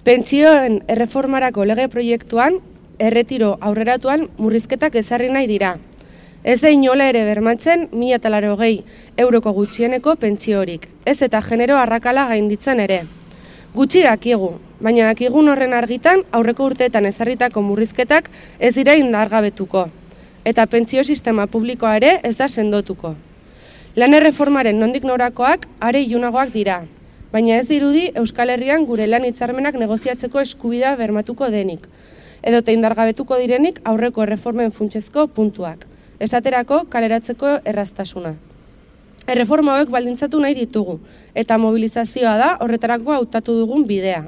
Pentsioen erreformarako lege proiektuan, erretiro aurreratuan murrizketak ezarri nahi dira. Ez da inola ere bermatzen 1.080 euroko gutxieneko pentsiorik, ez eta genero arrakala gainditzen ere. Gutxi dakigu, baina dakigun horren argitan aurreko urteetan ezarritako murrizketak ez dira indargabetuko, eta pentsio sistema publikoa ere ez da sendotuko. Lan erreformaren nondik norakoak are ilunagoak dira, baina ez dirudi Euskal Herrian gure lan hitzarmenak negoziatzeko eskubidea bermatuko denik, edota indargabetuko direnik aurreko erreformen funtsezko puntuak, esaterako kaleratzeko erraztasuna. Erreforma hauek baldintzatu nahi ditugu, eta mobilizazioa da horretarako hautatu dugun bidea.